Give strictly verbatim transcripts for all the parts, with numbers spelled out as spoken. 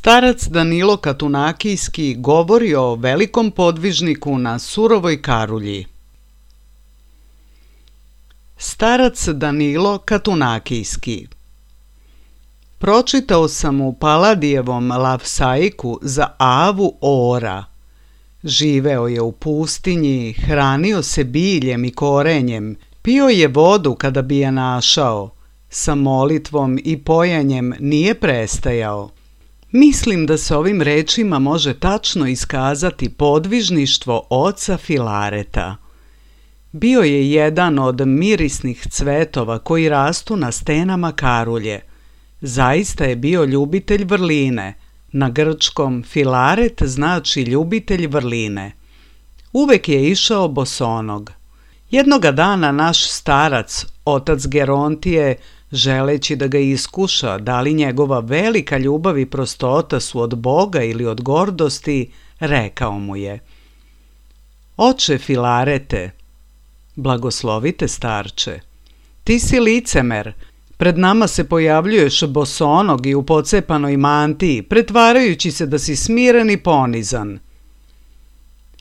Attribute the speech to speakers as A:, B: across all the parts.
A: Starac Danilo Katunakijski govori o velikom podvižniku na surovoj Karulji. Starac Danilo Katunakijski. Pročitao sam u Paladijevom Lavsaiku za Avu Ora. Živeo je u pustinji, hranio se biljem i korenjem, pio je vodu kada bi je našao, Sa molitvom i pojanjem nije prestajao. Mislim da se ovim rečima može tačno iskazati podvižništvo oca Filareta. Bio je jedan od mirisnih cvetova koji rastu na stenama Karulje. Zaista je bio ljubitelj vrline. Na grčkom Filaret znači ljubitelj vrline. Uvek je išao bosonog. Jednoga dana naš starac, otac Gerontije, želeći da ga iskuša da li njegova velika ljubav i prostota su od Boga ili od gordosti, rekao mu je: Oče Filarete, blagoslovite starče, ti si licemer, pred nama se pojavljuješ bosonog i u pocepanoj mantiji, pretvarajući se da si smiren i ponizan.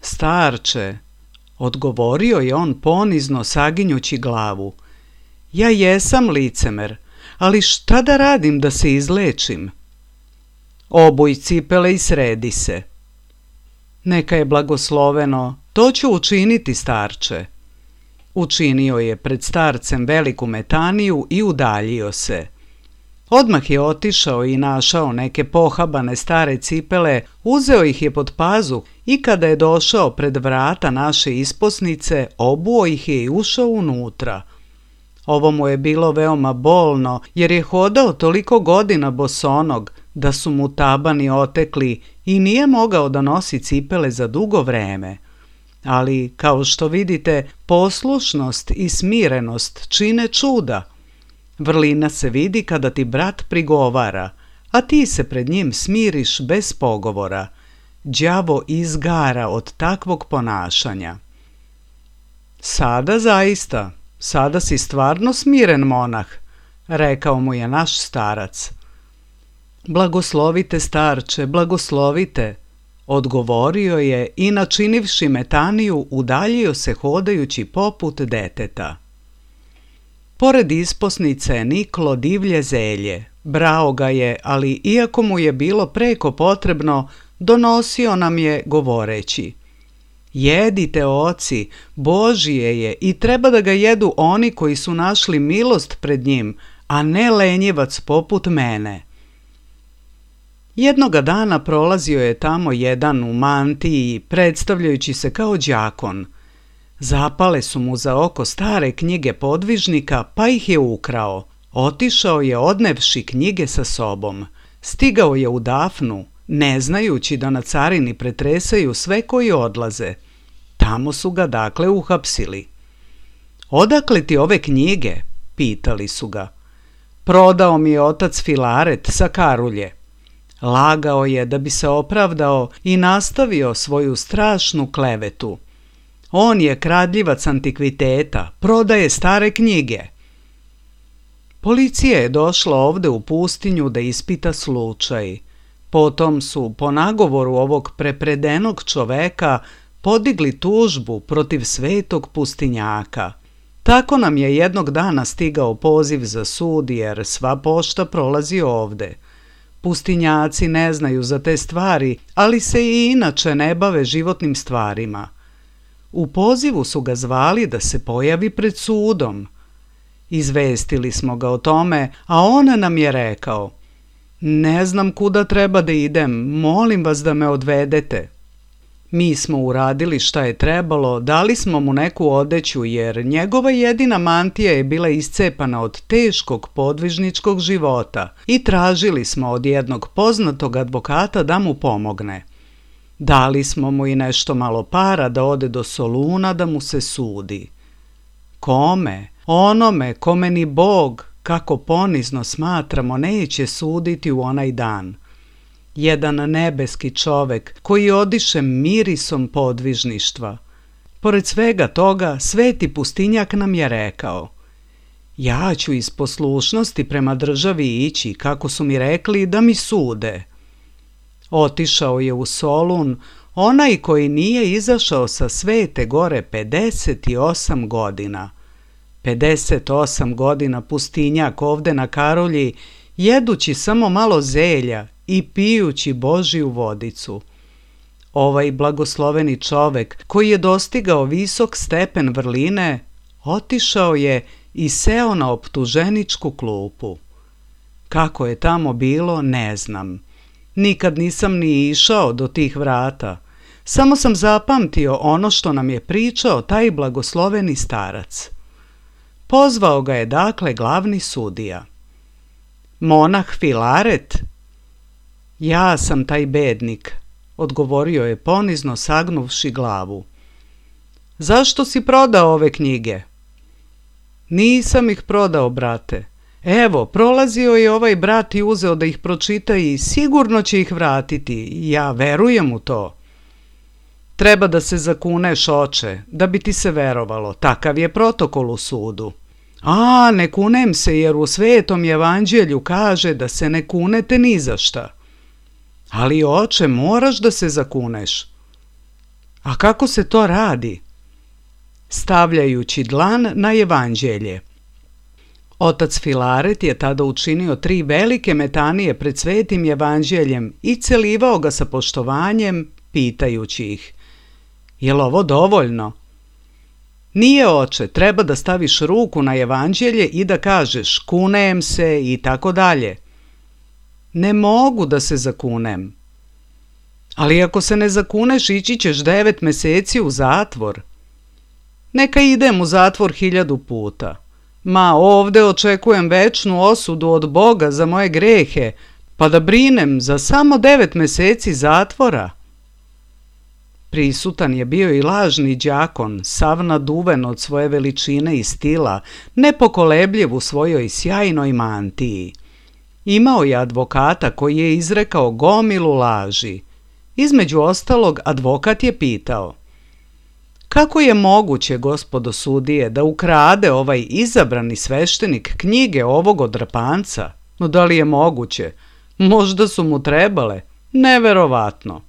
A: Starče, odgovorio je on ponizno saginjući glavu, ja jesam licemer, ali šta da radim da se izlečim? Obuj cipele i sredi se. Neka je blagosloveno, to ću učiniti, starče. Učinio je pred starcem veliku metaniju i udaljio se. Odmah je otišao i našao neke pohabane stare cipele, uzeo ih je pod pazuh i kada je došao pred vrata naše isposnice, obuo ih je i ušao unutra. Ovo mu je bilo veoma bolno, jer je hodao toliko godina bosonog da su mu tabani otekli i nije mogao da nosi cipele za dugo vreme. Ali, kao što vidite, poslušnost i smirenost čine čuda. Vrlina se vidi kada ti brat prigovara, a ti se pred njim smiriš bez pogovora. Đavo izgara od takvog ponašanja. Sada zaista, sada si stvarno smiren monah, rekao mu je naš starac. Blagoslovite, starče, blagoslovite, odgovorio je i načinivši metaniju udaljio se hodajući poput deteta. Pored isposnice je niklo divlje zelje. Brao ga je, ali iako mu je bilo preko potrebno, donosio nam je govoreći: Jedite, oci, Božije je i treba da ga jedu oni koji su našli milost pred njim, a ne lenjivac poput mene. Jednoga dana prolazio je tamo jedan u mantiji, predstavljajući se kao đakon. Zapale su mu za oko stare knjige podvižnika, pa ih je ukrao. Otišao je odnevši knjige sa sobom. Stigao je u Dafnu, ne znajući da na carini pretresaju sve koji odlaze. Tamo su ga dakle uhapsili. Odakle ti ove knjige? Pitali su ga. Prodao mi je otac Filaret sa Karulje. Lagao je da bi se opravdao i nastavio svoju strašnu klevetu. On je kradljivac antikviteta, prodaje stare knjige. Policija je došla ovde u pustinju da ispita slučaj. Potom su, po nagovoru ovog prepredenog čoveka, podigli tužbu protiv svetog pustinjaka. Tako nam je jednog dana stigao poziv za sud, jer sva pošta prolazi ovde. Pustinjaci ne znaju za te stvari, ali se i inače ne bave životnim stvarima. U pozivu su ga zvali da se pojavi pred sudom. Izvestili smo ga o tome, a on nam je rekao: Ne znam kuda treba da idem, molim vas da me odvedete. Mi smo uradili šta je trebalo, dali smo mu neku odeću, jer njegova jedina mantija je bila iscepana od teškog podvižničkog života i tražili smo od jednog poznatog advokata da mu pomogne. Dali smo mu i nešto malo para da ode do Soluna da mu se sudi. Kome? Onome kome ni Bog, kako ponizno smatramo, neće suditi u onaj dan. Jedan nebeski čovek koji odiše mirisom podvižništva. Pored svega toga, sveti pustinjak nam je rekao: Ja ću iz poslušnosti prema državi ići, kako su mi rekli da mi sude. Otišao je u Solun onaj koji nije izašao sa Svete Gore pedeset osam godina. pedeset osam godina pustinjak ovde na Karolji, jedući samo malo zelja i pijući Božiju vodicu. Ovaj blagosloveni čovek koji je dostigao visok stepen vrline, otišao je i seo na optuženičku klupu. Kako je tamo bilo, ne znam. Nikad nisam ni išao do tih vrata. Samo sam zapamtio ono što nam je pričao taj blagosloveni starac. Pozvao ga je dakle glavni sudija. Monah Filaret? Ja sam taj bednik, odgovorio je ponizno sagnuvši glavu. Zašto si prodao ove knjige? Nisam ih prodao, brate. Evo, prolazio je ovaj brat i uzeo da ih pročita i sigurno će ih vratiti. Ja verujem u to. Treba da se zakuneš, oče, da bi ti se verovalo. Takav je protokol u sudu. A, ne kunem se, jer u Svetom evanđelju kaže da se ne kunete ni za šta. Ali, oče, moraš da se zakuneš. A kako se to radi? Stavljajući dlan na evanđelje. Otac Filaret je tada učinio tri velike metanije pred Svetim evanđeljem i celivao ga sa poštovanjem, pitajući ih: Jel ovo dovoljno? Nije, oče, treba da staviš ruku na evanđelje i da kažeš kunem se i tako dalje. Ne mogu da se zakunem. Ali ako se ne zakuneš, ići ćeš devet meseci u zatvor. Neka idem u zatvor hiljadu puta. Ma, ovde očekujem večnu osudu od Boga za moje grehe, pa da brinem za samo devet meseci zatvora. Prisutan je bio i lažni đakon, sav naduven od svoje veličine i stila, nepokolebljiv u svojoj sjajnoj mantiji. Imao je advokata koji je izrekao gomilu laži. Između ostalog, advokat je pitao: Kako je moguće, gospodo sudije, da ukrade ovaj izabrani sveštenik knjige ovog odrapanca? No da li je moguće? Možda su mu trebale. Neverovatno.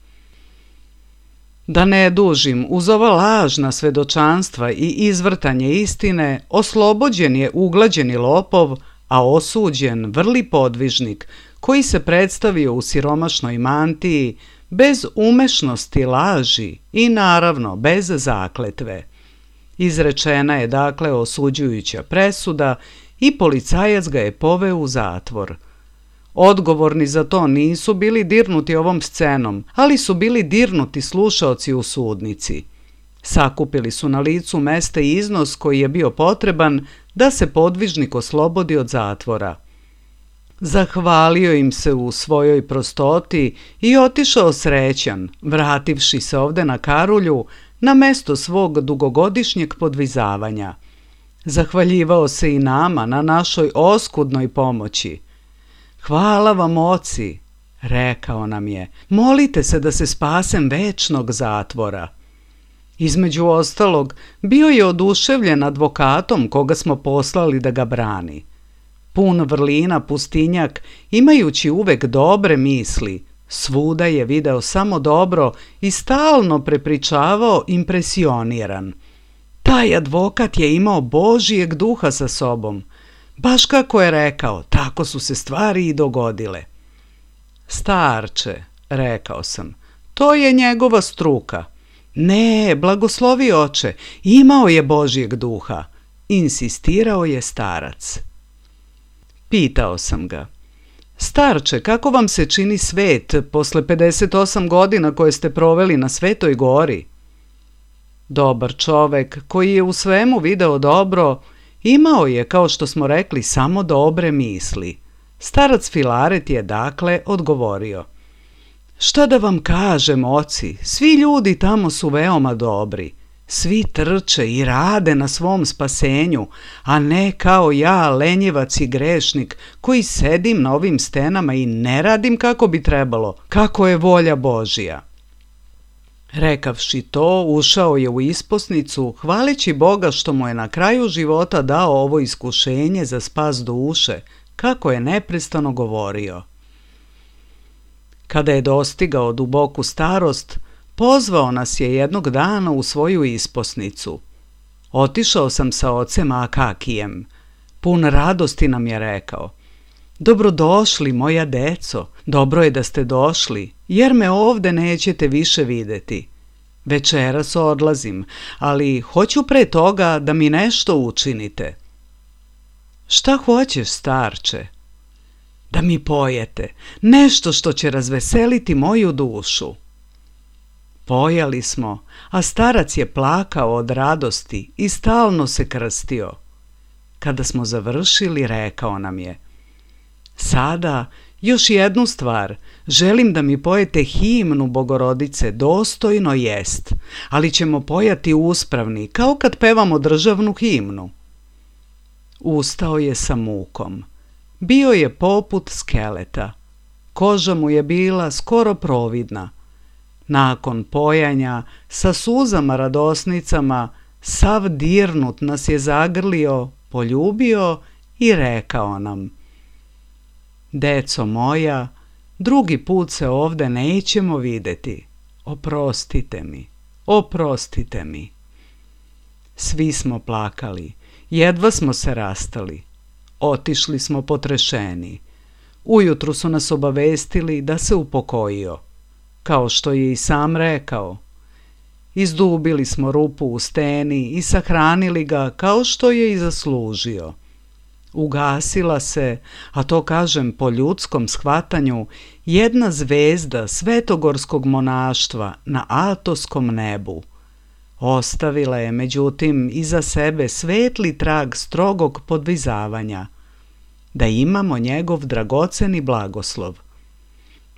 A: Da ne dužim, uz ova lažna svedočanstva i izvrtanje istine, oslobođen je uglađeni lopov, a osuđen vrli podvižnik, koji se predstavio u siromašnoj mantiji, bez umešnosti laži i naravno bez zakletve. Izrečena je dakle osuđujuća presuda i policajac ga je poveo u zatvor. Odgovorni za to nisu bili dirnuti ovom scenom, ali su bili dirnuti slušaoci u sudnici. Sakupili su na licu mesta iznos koji je bio potreban da se podvižnik oslobodi od zatvora. Zahvalio im se u svojoj prostoti i otišao srećan, vrativši se ovde na Karulju, na mesto svog dugogodišnjeg podvizavanja. Zahvaljivao se i nama na našoj oskudnoj pomoći. Hvala vam, oci, rekao nam je, molite se da se spasem večnog zatvora. Između ostalog, bio je oduševljen advokatom koga smo poslali da ga brani. Pun vrlina pustinjak, imajući uvek dobre misli, svuda je video samo dobro i stalno prepričavao impresioniran. Taj advokat je imao Božijeg duha sa sobom. Baš kako je rekao, tako su se stvari i dogodile. Starče, rekao sam, to je njegova struka. Ne, blagoslovi oče, imao je Božijeg duha, insistirao je starac. Pitao sam ga: Starče, kako vam se čini svet posle pedeset osam godina koje ste proveli na Svetoj gori? Dobar čovek koji je u svemu video dobro, imao je, kao što smo rekli, samo dobre misli. Starac Filaret je dakle odgovorio: Šta da vam kažem, oci, svi ljudi tamo su veoma dobri. Svi trče i rade na svom spasenju, a ne kao ja, lenjevac i grešnik, koji sedim na ovim stenama i ne radim kako bi trebalo, kako je volja Božija. Rekavši to, ušao je u isposnicu, hvaleći Boga što mu je na kraju života dao ovo iskušenje za spas duše, kako je neprestano govorio. Kada je dostigao duboku starost, pozvao nas je jednog dana u svoju isposnicu. Otišao sam sa ocem Akakijem. Pun radosti nam je rekao: Dobrodošli, moja deco, dobro je da ste došli, jer me ovde nećete više videti. Večeras odlazim, ali hoću pre toga da mi nešto učinite. Šta hoćeš, starče? Da mi pojete, nešto što će razveseliti moju dušu. Pojali smo, a starac je plakao od radosti i stalno se krstio. Kada smo završili, rekao nam je: sada još jednu stvar, želim da mi pojete himnu Bogorodice Dostojno jest, ali ćemo pojati uspravni, kao kad pevamo državnu himnu. Ustao je sa mukom. Bio je poput skeleta. Koža mu je bila skoro providna. Nakon pojanja, sa suzama radosnicama, sav dirnut nas je zagrlio, poljubio i rekao nam: deco moja, drugi put se ovde nećemo videti. Oprostite mi, oprostite mi. Svi smo plakali, jedva smo se rastali. Otišli smo potrešeni. Ujutru su nas obavestili da se upokojio, kao što je i sam rekao. Izdubili smo rupu u steni i sahranili ga kao što je i zaslužio. Ugasila se, a to kažem po ljudskom shvatanju, jedna zvezda svetogorskog monaštva na Atoskom nebu. Ostavila je, međutim, iza sebe svetli trag strogog podvizavanja, da imamo njegov dragoceni blagoslov.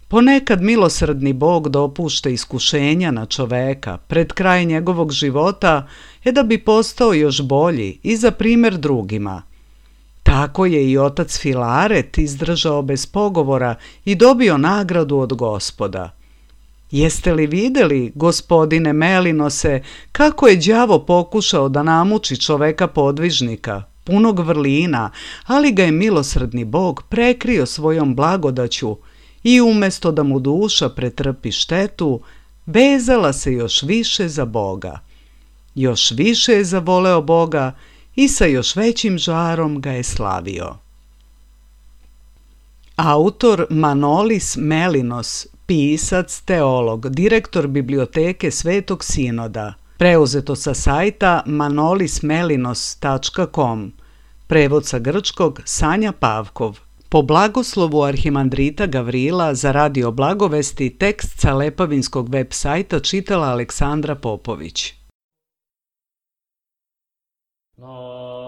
A: Ponekad milosrdni Bog dopušta iskušenja na čoveka pred kraj njegovog života, je da bi postao još bolji i za primjer drugima. Tako je i otac Filaret izdržao bez pogovora i dobio nagradu od Gospoda. Jeste li vidjeli, gospodine Melinose, kako je đavo pokušao da namuči čoveka podvižnika, punog vrlina, ali ga je milosrdni Bog prekrio svojom blagodaću i umjesto da mu duša pretrpi štetu, vezala se još više za Boga. Još više je zavoleo Boga i sa još većim žarom ga je slavio. Autor Manolis Melinos, pisac, teolog, direktor biblioteke Svetog Sinoda, preuzeto sa sajta manolis melinos tačka com, prevod sa grčkog Sanja Pavkov. Po blagoslovu arhimandrita Gavrila za Radio Blagovesti tekst sa Lepavinskog web sajta čitala Aleksandra Popović. No.